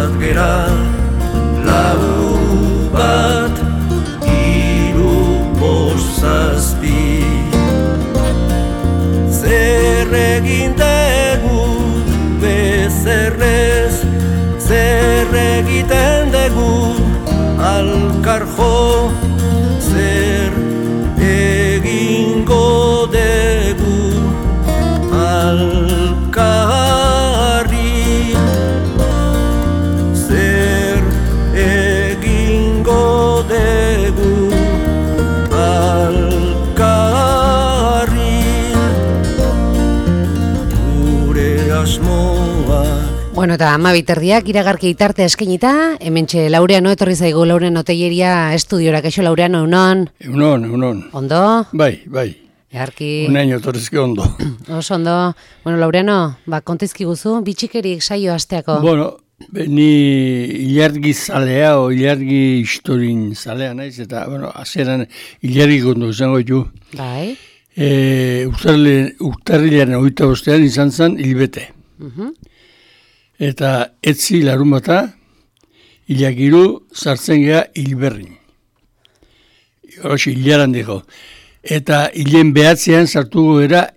bat gera, lau bat, hiru bost zazpi. Zer egin dugu bezerrez, zer egiten dugu alkarjo, zer egingo dugu alkarri, zer egingo dugu alkarri, gure asmoa. Bueno, eta 12:00 iragarki itarte eskenita, hementxe Laureano etorri zaigu, Laureano Telleria estudiora, kaixo Laureano, egunon? Egunon. Ondo? Bai. Egarki... Unaino etorrizki ondo. Oso ondo. Bueno, Laureano, kontizki guzu, bitxikerik saio asteako. Bueno, ni ilargi zalea o ilargi historin zalea naiz, eta, bueno, azeran ilargi gondo izango ditu. Bai. Urtarrilean 25 izan zen hilbete. Eta etzi larunbata, ilagiru sartzen gea hilberrin. Horosi, hilaran diko. Eta hilen behatzean sartuko gara,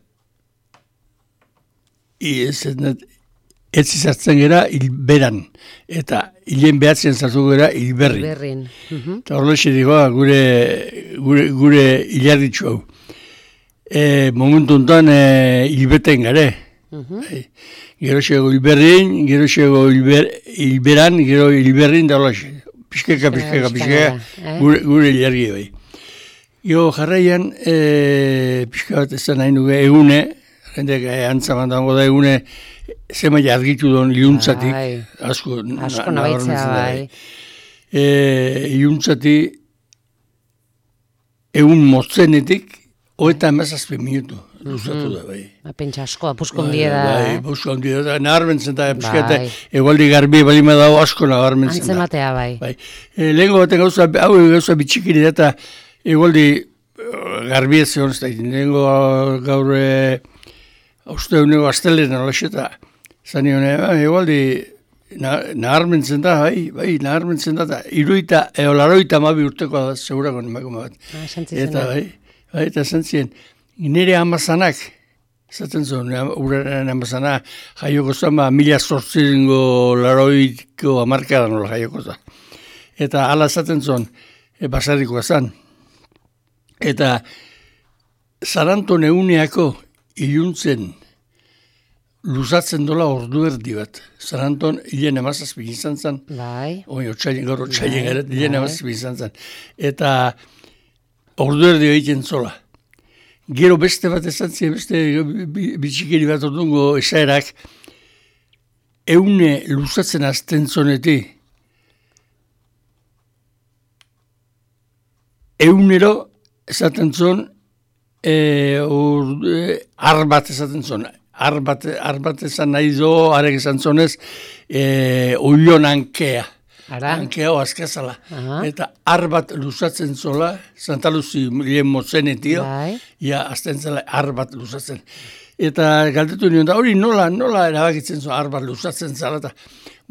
etzi sartzen gara hilberan. Eta hilen behatzean sartuko gara hilberrin. Eta horosi diko, gure hilarritxu hau. Momentu honetan hilbeten gare. Gero xego hilberrin, gero xego hilberan, gero hilberrin da holaxe. Piskeka, gure hilargi bai. Gero jarraian, pixka bat ez da nahi nuke egune, jendeak antzaman dago da egune, zemai argitu duen iluntzatik, asko nabaitzea bai. Iluntzatik, egun motzenetik, 37 minutu. Luzatu da, bai. Pentsa asko, apuskondie da. Bai, apuskondie da. Naharmentzen da, piskate, egualdi garbi balima dago asko naharmentzen da. Antzematea, bai. Lehenko baten gauza bitxikiri da, eta egualdi garbi ez zegoen ez da. Lehenko gaur, uste unego astelen alaxe eta zanion, egualdi naharmentzen da, bai, naharmentzen da. Iruita, laroita mabi urtekoa da, segurako emakume bat. Eta bai, eta zentzien. Nire amazanak, zaten zuen, uraren amazana, jaioko zen, 1800 amarkadan nola jaioko zen. Eta ala zaten zuen, basarrikoa zen. Eta Zaranton eguneako iluntzen luzatzen dola ordu erdi bat. Zaranton hilen amazazpik izan zen. Bai. Gaur otxaien gara, hilen amazazpik izan zen. Eta ordu erdi egiten zola. Gero beste bat esantzia, beste bitxikeri bat ordungo esaerak, eune luzatzen azten zoneti, eunero esaten zon, arbat esaten zon, arbat esan nahi zo, arek esan zonez, oion ankea. Ankea oazkazala. Eta arbat luzatzen zola, Santa Luzi lehen motzenetio, azten zela arbat luzatzen. Eta galdetu nion da, hori nola erabakitzen zola arbat luzatzen zela.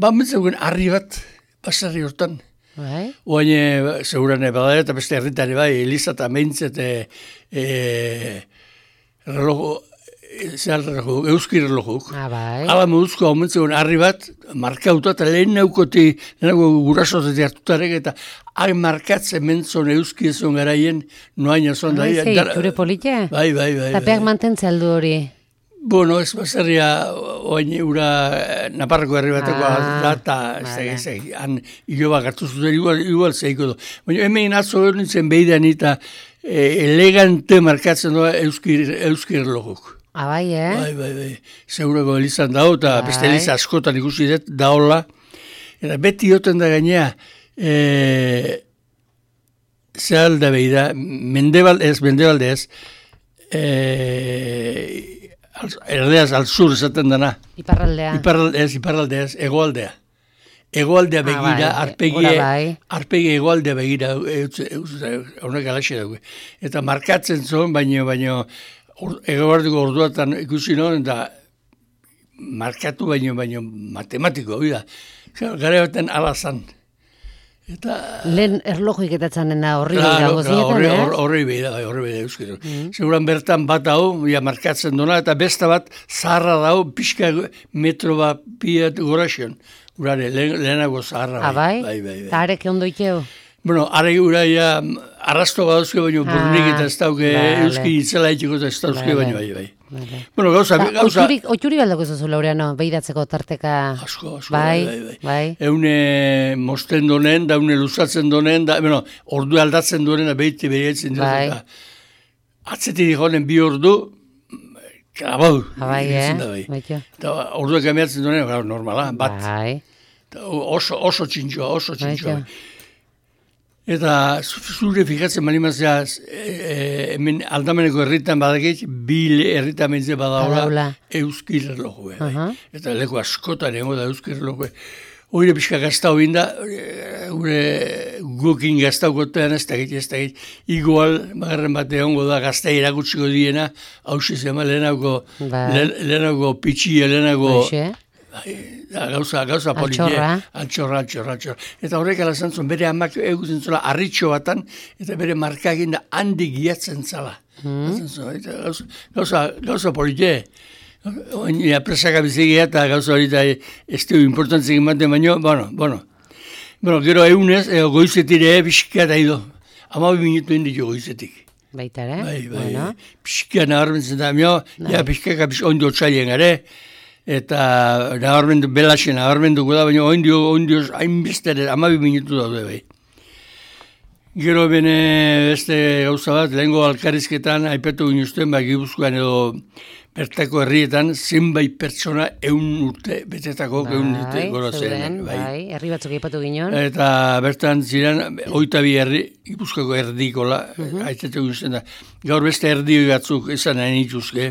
Mentzeugen arri bat, basarri hortan. Oain, segurane badare eta beste herritari bai, Eliza eta Meintzet relojo, euski relojok. Hala moduzko hau mentzegoen harri bat, markauta eta lehen naukoti, lehenago gurasozetik hartutarek, eta hain markatzen mentzon euski ezon garaien, noain ezon da. Zure polite? Bai. Eta peak mantentzea aldu hori? Bueno, ez baserria, oain ura Naparroko herri bateko da, eta han hilo bat gartu zuten, igual zeiko du. Baina hemen atzo hori nintzen behidan eta elegante markatzen doa euski relojok. Bai, Bai. Segurako Elizan dago, eta beste Eliza askotan ikusi dut, daola. Eta beti joten da gainea, zehalda behi da, mendebalde ez, erdeaz alzur esaten dana. Iparraldea ez, egoaldea. Egoaldea begira, arpegi egoaldea begira, honek alaxe dago. Eta markatzen zuen, baino, egoardiko orduatan ikusi non, eta markatu baino matematiko, Gara baten alazan. Eta... Lehen erlojuik etatzen da horri dago zinetan, Horri behi euskero. Seguran bertan bat hau, markatzen duna, eta besta bat zaharra dago, pixka metro bat piat goraxion. Urare, lehenago zaharra. Bai? Eta arek ondo ikeo? Bueno, are gura arrasto badauzke baino burnik eta ez dauke euski itzela itxiko eta ez dauzke baino bai. Bueno, gauza... Otxuri baldako zuzu, Laureano, behidatzeko tarteka... Asko, bai. Eune mosten donen, da eune luzatzen donen, da, bueno, ordu aldatzen donen, behiti behiatzen dut, eta atzetik honen bi ordu, krabau. Bai, Eta orduak emiatzen donen, normala, bat. Oso txintxoa. Eta zure fikatzen malimazia, hemen aldameneko herritan badakit, bi herritan mentze badaula euskir erloju. Eta leku askotan emo da euskir erloju. Oire pixka gaztau binda, gukin gaztau gotean ez dakit. Igual, bagarren bate hongo da gazta irakutsiko diena, hausi zema lehenago pitxia, lehenago... Gauza politia. Altxorra. Eta horrek alazantzun, bere amak egutzen zela arritxo batan, eta bere markagin da handi giatzen zala. Gauza politia. Oina presaka bizigia eta gauza horita ez du importantzik ematen baino, bueno. Gero egunez, goizetire pixka da ido. 12 minutu indiko goizetik. Baita, ere? Bai. Pixka naharmentzen da, pixka ondo txaien gare, eta belaxen nabarmenduko da, baina ondioz hainbestere 12 minutu daude bai. Gero bene beste gauza bat, lehengo alkarizketan aipatu ginuzten, Gipuzkoan edo bertako herrietan, zenbait pertsona 100 urte betetako 100 urte gorozen. Bai, herri batzuk aipatu ginen. Eta bertan ziren, 22 herri, Gipuzkoako erdikola, aitatu ginuzten da. Gaur beste erdi batzuk esan nahi nituzke.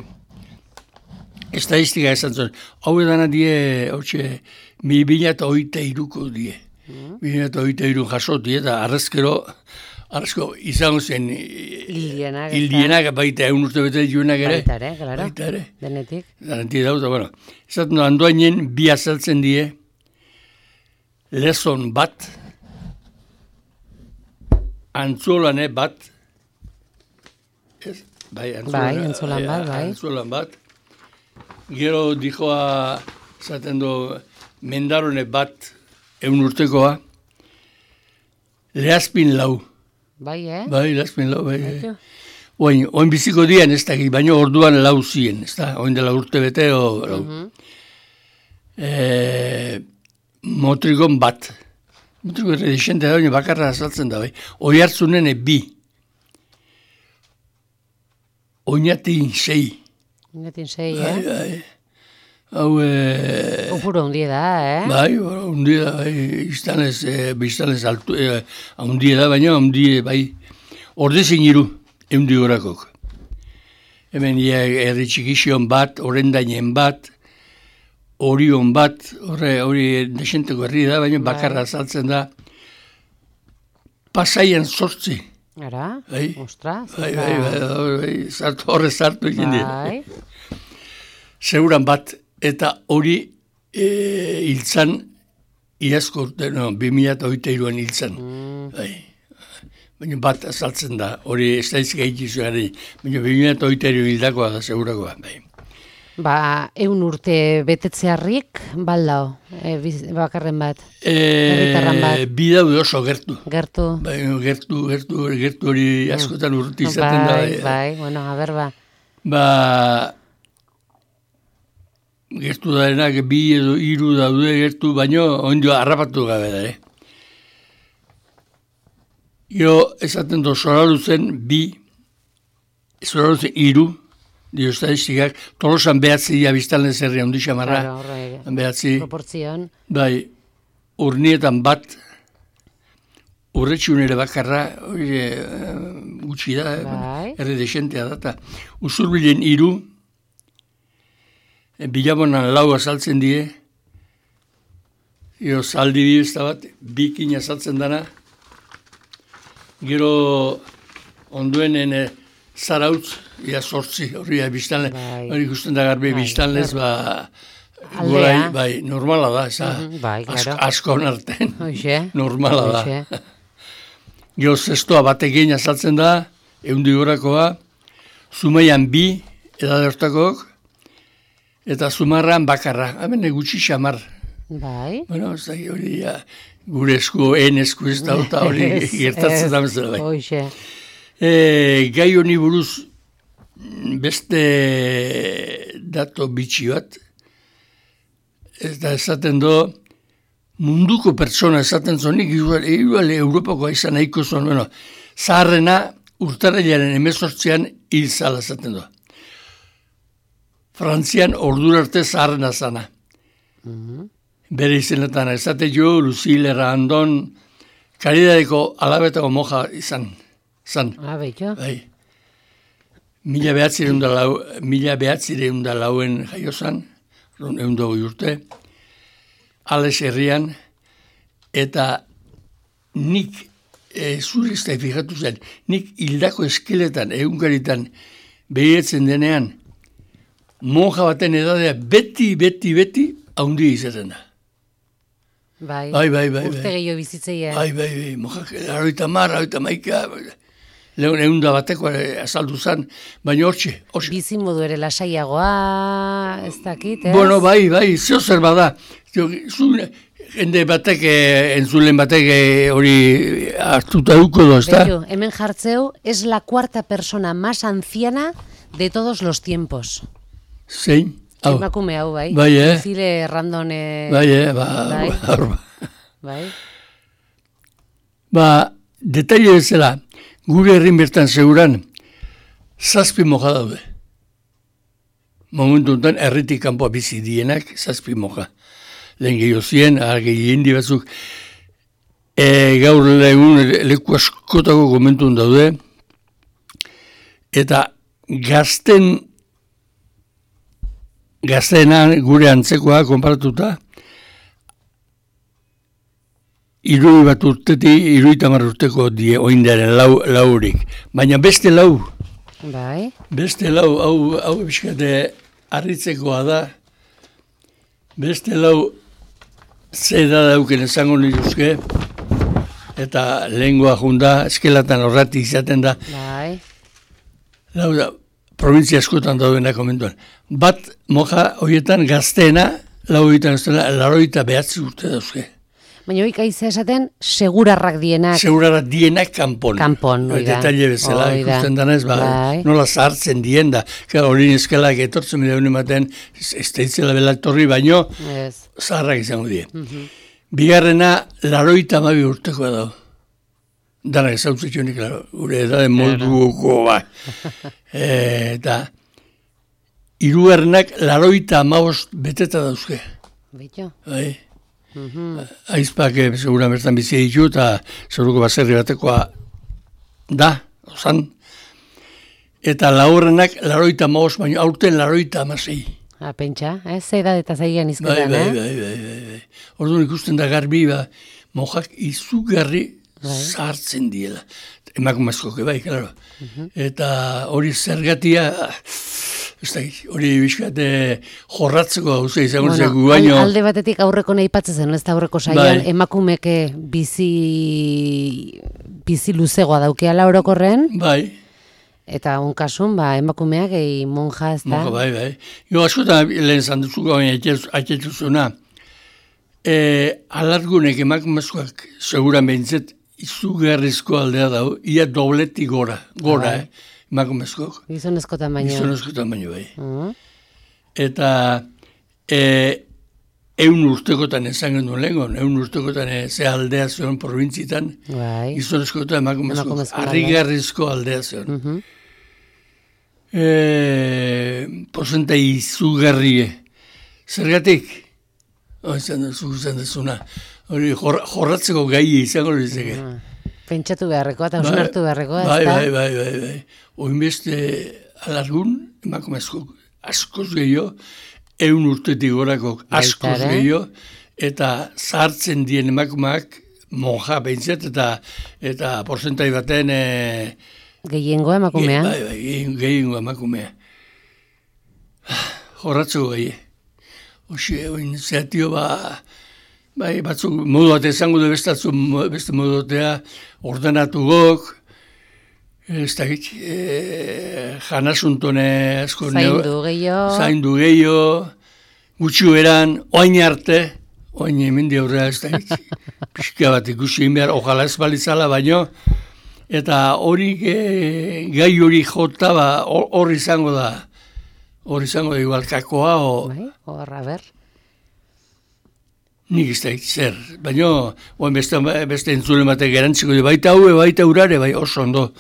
Estadistika esan zuen, hau edana die, 2023ko die. 2023 jasotie eta arrezko izango zen hildienak baita 100 urte bete dituenak ere. Baita ere. Denetik. Denetik dauta, bueno. Esaten du, handoainen bi azaltzen die, lezon bat, antzolane bat, antzolan bat, gero dijoa, zaten du, mendarone bat, 100 urtekoa, lehazpin lau. Bai, Bai, lehazpin lau, bai. Oin biziko dian ez dakik, baina orduan lau ziren, ez da, oin dela urte bete, lau. Motrikon bat. Motrikon redixente da, bakarra azaltzen da, bai. Oi hartzunen bi. Oinatin 6. Oinatin 6, Bai. Hau... Opuro hundie da, Bai, hundie da, bai. Biztanez altu, hundie da, baina hundie, bai. Ordezin iru, eundi horakok. Hemen herri txikixion bat, orendainen bat, orion bat, hori desenteko herri da, baina bakarra azaltzen da. Pasaian 8. Ara, ostra. Bai, horre zartu egin dira. Seguran bat, eta hori hiltzan, iazko urte, 2023an hiltzan. Baina bat azaltzen da, hori ez da izkaitizu gari, baina 2023 hildakoa da segurakoa. 100 urte betetzearrik, baldao, bakarren bat, herritarran bat. Bi daude oso gertu. Gertu. Gertu hori askotan urruti izaten da. Bai, bueno, a ber, gertu darenak bi edo 3 daude gertu, baino ondio harrapatu gabe da, Gero esaten do Zoraluzen 2, Zoraluzen 3, dio estadistikak, Tolosan behatzi dia biztanle zerria, ondi xamarra. Behatzi. Proportzion. Bai, urnietan bat, urretxunere bakarra, gutxi da, herri desentea data. Usurbilen 3, Bilabonan 4 azaltzen die, gero Zaldi bibizta bat, 2 azaltzen dana, gero onduenen Zarautz, 8, hori biztanle, hori ikusten da garbi biztanlez, aldea. Bai, normala da, bai, claro. askon arten. Hoxe. Normala da. Gero zestoa batekin azaltzen da, 100 gorakoa, Zumaian 2 edadertakok, eta Zumarran bakarra. Hemen gutxi xamar. Bai. Bueno, ez da, hori gure esku, esku ez da, eta hori gertatzen da bezala bai. Hoxe. Gai honi buruz beste dato bitxi bat, ez da esaten do, munduko pertsona esaten zonik, igual Europakoa izan nahiko zon, bueno, zaharrena urtarrilaren 18an hil zala esaten do. Frantzian ordura arte zaharrena zana. Bere izenetan, esate jo, Lucille Randon, Karidadeko alabetako moja izan. Betxo. Bai. 1904 jaio zan, 120 urte, Ales herrian, eta nik, zure ez da fijatu zen, nik hildako eskeletan, egunkaritan, behietzen denean, monja baten edadea beti, haundi izaten da. Bai. Urte gehiago bizitzeia. Bai, monja, 80, lehen 100 bateko azaldu zen, baina hortxe. Bizin modu ere lasaiagoa, ez dakit, ez? Bueno, bai, zeo zer bada. Jende batek, entzulen batek hori hartuta duko do, ez da? Bello, hemen jartzeu, es la 4ª persona más anciana de todos los tiempos. Zein? Emakume hau, bai. Bai, Lucille Randon. Bai. Detaile bezala, gure herrin bertan seguran, 7 moja daude. Momentu enten, herritik kanpoa bizi dienak, 7 moja. Lehen gehiago zien, gehi hindi batzuk, gaur egun leku askotako komentun daude, eta gazteenan gure antzekoa konparatuta, 70 urtetik 70 urteko die oindaren laurik. Baina beste lau. Bai. Beste lau, hau biskate harritzekoa da. Beste lau zeda dauken esango nituzke. Eta lengua junda, eskelatan horrati izaten da. Bai. Lau da, provintzia askotan daudena komentuan. Bat moja horietan gazteena, lau horietan gazteena, 89 urte dauzke. Baina hoik aizea esaten, segurarrak dienak. Segurarrak dienak kanpon. Kanpon, oida. Detalle bezala, ikusten danez, nola zahartzen dien da. Hori eskalak etortzen bide honen baten, ez da itzela belaktorri, baino, zaharrak izango die. Bigarrena, 82 urtekoa dago. Danak ezautzitxunik, gure edade molduko, eta, hirugarrenak 85 beteta dauzke. Betxo. Bai. Aizpak seguran bertan bizi ditu eta seguruko baserri batekoa da, ozan. Eta laurrenak 85, baina aurten 86. Pentsa, ze edadeta zaigan izketan, Bai. Orduan ikusten da garbi, mojak izugarri zahartzen diela. Emakumezkoke, bai, klaro. Eta hori zergatia... hori bizkate jorratzeko hau izango zegu baino. Alde batetik aurreko nahi patzen, ez da aurreko saian, emakumeke bizi luzegoa daukeala orokorren. Bai. Eta onkasun, emakumeak monja ez da. Monja, bai. Jo, askotan lehen zanduzuko aitetuzuna. Alargunek emakumezkoak seguran behintzet izugarrizko aldea dau, ia dobletik gora, emakumezkoak. Gizonezkotan baino. Gizonezkotan baino, bai. Eta 100 urtekotan esan gendun lehengon, 100 urtekotan ze aldea zion provintzitan, gizonezkotan emakumezkoak, harrigarrizko aldea zion. Porzentai izugarrie. Zergatik? Izan dezuna. Hori jorratzeko gai izango lizeke. Pentsatu beharrekoa eta osnartu beharrekoa. Bai. Oinbeste alargun, emakumezko askoz gehiago, 100 urtetik gorako askoz gehiago, eta zahartzen dien emakumeak monja behintzat, eta porzentai baten... Gehiengoa emakumea. Bai, gehiengoa emakumea. Jorratzeko gai. iniziatio bai, batzuk modu bat izango du beste modu batea, ordenatu gok, ez da janasuntone asko zaindu gehiago, gutxi eran, oain arte, oain hemendi aurrera ez da pixka bat ikusi behar, ojala ez balitzala baino, eta hori gai hori jota hor izango da igual kakoa horra ber. Nik ez da zer, baina beste entzule batek erantziko du, baita urare, bai oso ondo.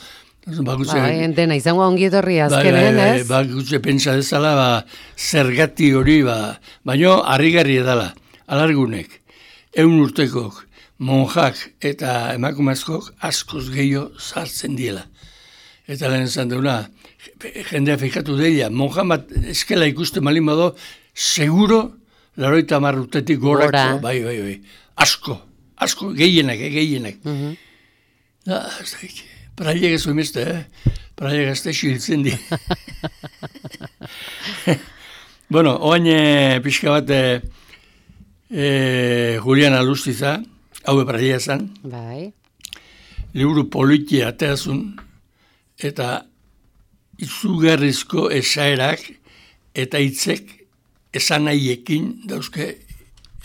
Dena izango ongi etorri azkenen, ez? Bakutze pentsa dezala, zergati hori, baina harrigarri edala, alargunek, 100 urtekok, monjak eta emakumezkok askoz gehiago sartzen diela. Eta lehen esan deuna, jendea fikatu deia, monjan bat eskela ikusten malin bado, seguro, 80 urtetik gorako, bai, asko, gehienak. Praiek ez emeste, praiek ez da xiltzen di. Bueno, oain pixka bat Julian Alustiza, haue praia zan. Bai. Liburu politia ateazun, eta izugarrizko esaerak eta hitzek esan nahiekin dauzke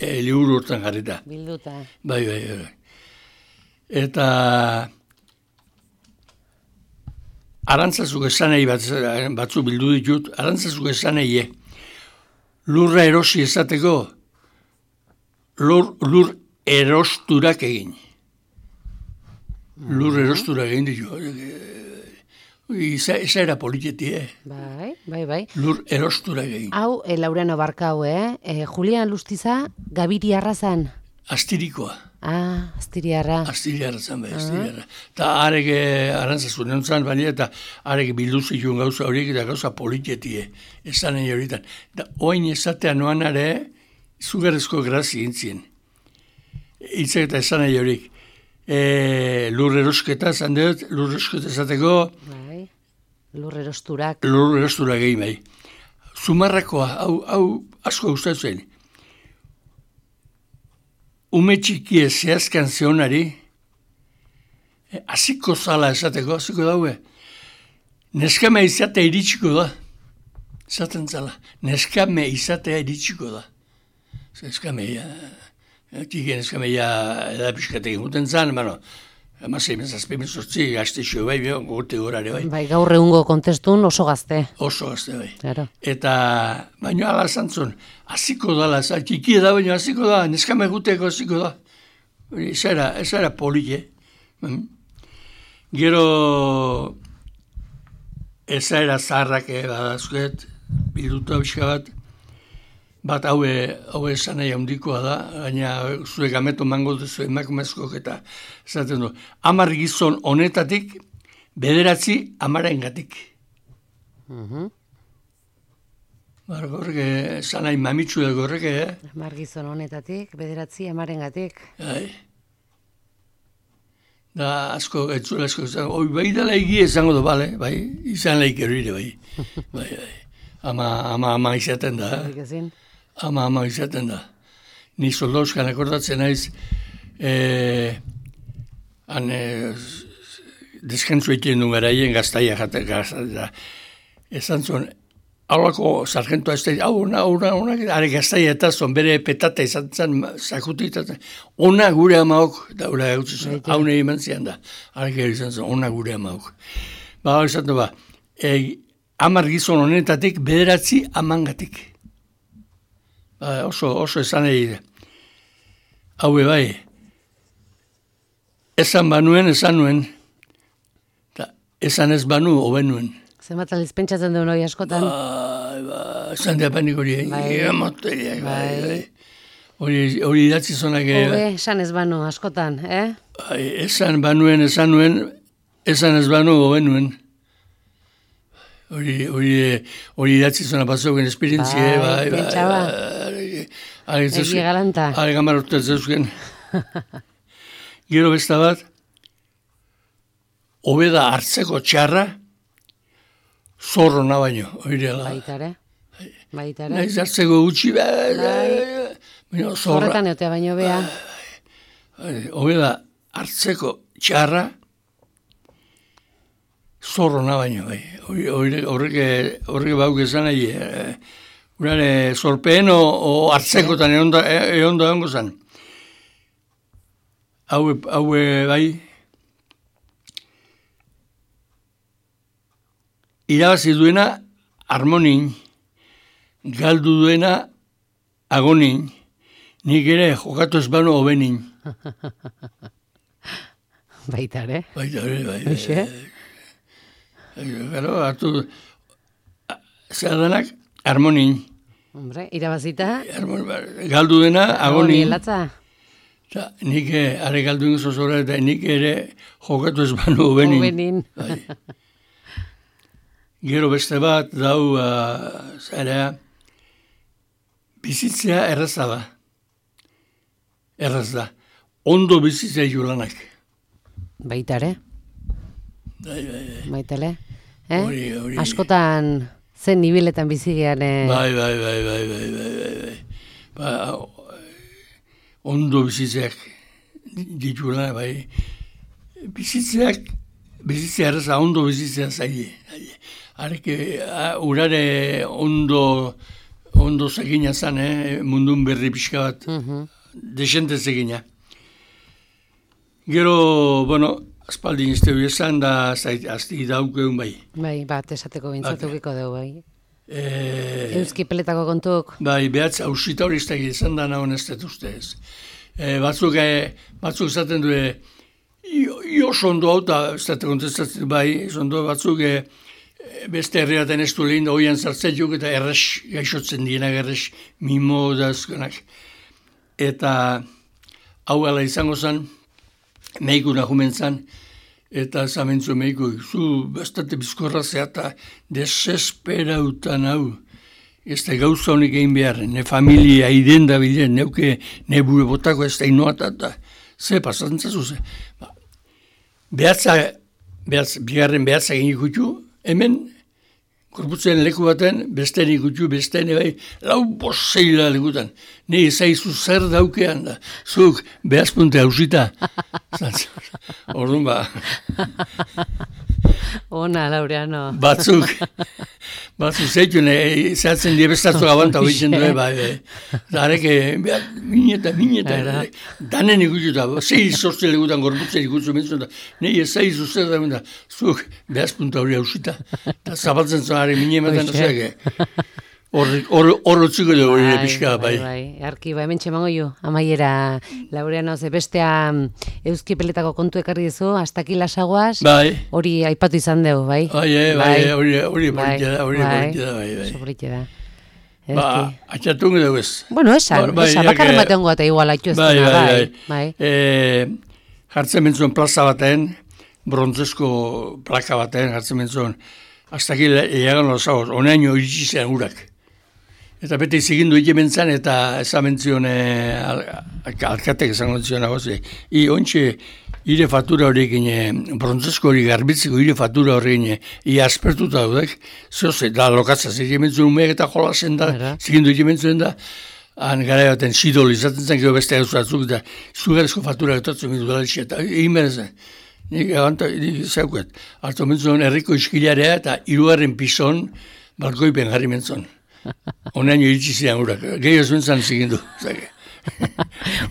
liburu hortan jarrita. Bilduta. Bai. Eta arantzazuk esan nahi batzu bildu ditut, arantzazuk esan nahi lurra erosi esateko lur erosturak egin. Lur erosturak egin ditu. Eza era politieti, Bai. Lur erosturak egin. Hau, Laureano Barkau, Julian Alustiza, Gabiri arrazan. Astirikoa. Astiriarra. Astiriarra zan, astiriarra. Eta arek arantzazun entzan, baina eta arek bildu zituen gauza horiek eta gauza politietie, esan egin horietan. Da, oain esatea noan are, izugarrezko grazi gintzien. Hitzek eta esan egin horiek. Lur erosketa, zan dut, lur erosketa esateko... Bai, lur erosturak. Lur erosturak egin, bai. Zumarrakoa, hau asko gustatzen. Ume txiki zehazkan zehonari, hasiko zala esateko, hasiko daue, neskame izatea iritsiko da. Esaten zala, neskame izatea iritsiko da. Neskame edapiskatek egiten zan, Amasei mezazpimen sortzi, gaztexio bai, gurte gorare bai. Bai, gaur egungo kontestun oso gazte. Oso gazte bai. Claro. Eta, baina ala zantzun, hasiko dala, txiki da, baina hasiko da, neskame guteko hasiko da. Ez era polike. Gero, ez era zaharrak badazkuet, bilduta bizka bat haue esan nahi handikoa da, baina zuek ameto mango duzu emakumezkoak eta esaten du. 10 gizon honetatik, 9 amarengatik. Gorrek, esan nahi mamitsu da gorrek, 10 gizon honetatik, 9 amarengatik. Da, asko, etzula asko, bai dela egia esango du, bale, bai, izan laik erire, bai. Ama izaten da, Ama izaten da. Ni soldauzkan akordatzen naiz, deskantzu egiten duen garaien gaztaia jaten. Esan zuen, haulako sargentoa ez da, are gaztaia eta zon, bere petata izan zen, zakutik, ona gure amaok, da ura gautzu zen, haune eman zian da, are gero izan zen, ona gure amaok. Izan du 10 gizon honetatik, 9 amangatik. Oso esan egin. Haue bai. Esan banuen, esan nuen. Esan ez banu, hoben nuen. Zenbat aldiz pentsatzen duen hori askotan? Esan diapanik hori. Hori idatzi zonak. Esan ez banu askotan, Esan banuen, esan nuen. Esan ez banu, hoben nuen. Hori idatzi zona batzoken esperientzie, Egi galanta. Gamar urte zeuzken. Gero besta bat, hobeda hartzeko txarra, zorro na baino, hori dela. Baitare. Baita ere. Naiz hartzeko gutxi, Zorretan eotea baino bea. Hobe da, hartzeko txarra, zorrona baino, bai. Horrek bauk esan nahi, urare zorpeen o hartzekotan egon da hongo zen. Haue bai, irabazi duena harmonin, galdu duena agonin, nik ere jokatu ez bano hobenin. Baita ere. Baita ere, bai. Hoxe? Gero, hartu, zer danak, harmonin. Hombre, irabazita. Galdu dena, agonin. Latza. Nik are galdu ingo zozora, eta nik ere jokatu ez bano hobenin. Hobenin. Gero beste bat, dau, zarea, bizitzea erraza da. Erraz da. Ondo bizitzea julanak. Baita ere. Bai. Baita ere. Hori. Askotan zen nibiletan bizigean. Bai. Ondo bizitzeak ditula, bai. Bizitzea erraza, ondo bizitzea zaile. Areke, urare ondo zegina zan, mundun berri pixka bat. Desente zegina. Gero, aspaldin izte hori esan da, azti daukeun bai. Bai, bat esateko bintzatukiko dugu, bai. Euski peletako kontuk. Bai, behatz, hausita hori iztegi izan da nahon ez dut ustez. Batzuk esaten du, sondo hau, eta ez dut kontestatzen bai, sondo batzuk beste herriaten ez du lehin da hoian zartzetuk eta erres gaixotzen dienak, erres mimo dazkonak. Eta hau ala izango zen, meiku nahumen zen, eta zamentzu meiku, zu bastate bizkorra zeata desesperautan hau. Ez da gauza honik egin behar, ne familia iden da bilen, neuke ne bure botako ez da inoatata. Ze pasatzen zazu ze. Bigarren behatza egin ikutu, hemen, korputzen leku baten, beste ikutu, beste bai, lau boseila lekutan. Ne ezaizu zer daukean da. Zuk, behazpunte hausita. Orduan ba. Ona, Laureano. Batzuk zeitu, zehatzen diebestatu gabanta hoitzen du, bai. Zareke, mineta. Danen ikututa, zei sortze lekutan korputzen ikutu mentzun da. Ne ezaizu zer daukean da. Zuk, behazpunte hori hausita. Eta zabaltzen zonari minemetan, horrotziko dugu hori pixka, bai. Arki, hemen txemango jo, amaiera, Laureano, ze bestea Euski peletako kontu ekarri dizu, hasta aquí lasaguaz, hori aipatu izan dugu, bai? Hori borritxe da, bai. Sobritxe da. Atxatungo dugu ez. Bueno, esan, bakarren batean goa eta igual haitu ez dena, bai. Jartzen mentzuen plaza baten, brontzesko plaka baten, jartzen mentzuen, hasta aquí llegan los sábados, onaino iritsi zen urak. Eta bete izigindu ikementzan, eta esamentzion alkatek esango zion agozi. Ontxe, ire fatura horrekin, brontzesko hori garbitzeko ire fatura horrekin, aspertuta dudek, zoze, da lokatza, ikementzuen umeak eta jolasen da, zigindu ikementzuen da, han gara baten sidol izaten zen, gero beste eguzatzuk, eta zugarezko fatura getotzen mitu dara itxe, eta imerezen. Nik zauket, hartu mentzuen herriko iskilarea eta 3. pison balkoipen jarri mentzuen. Onaino iritsi zidan urak, gehi ez mentzan zigindu.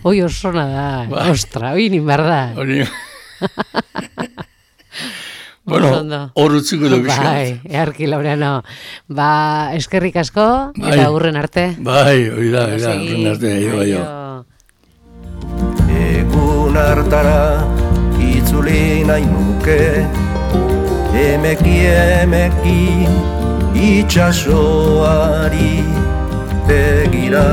Hoi osona da, ostra, hoi ninbar da. Bueno, horretziko dugu bizkat. Bai, earki, Laureano. Eskerrik asko, eta hurren arte. Bai, hori da, hurren arte, jo. Egun hartara itzuli nahi nuke, emeki itxasoari begira.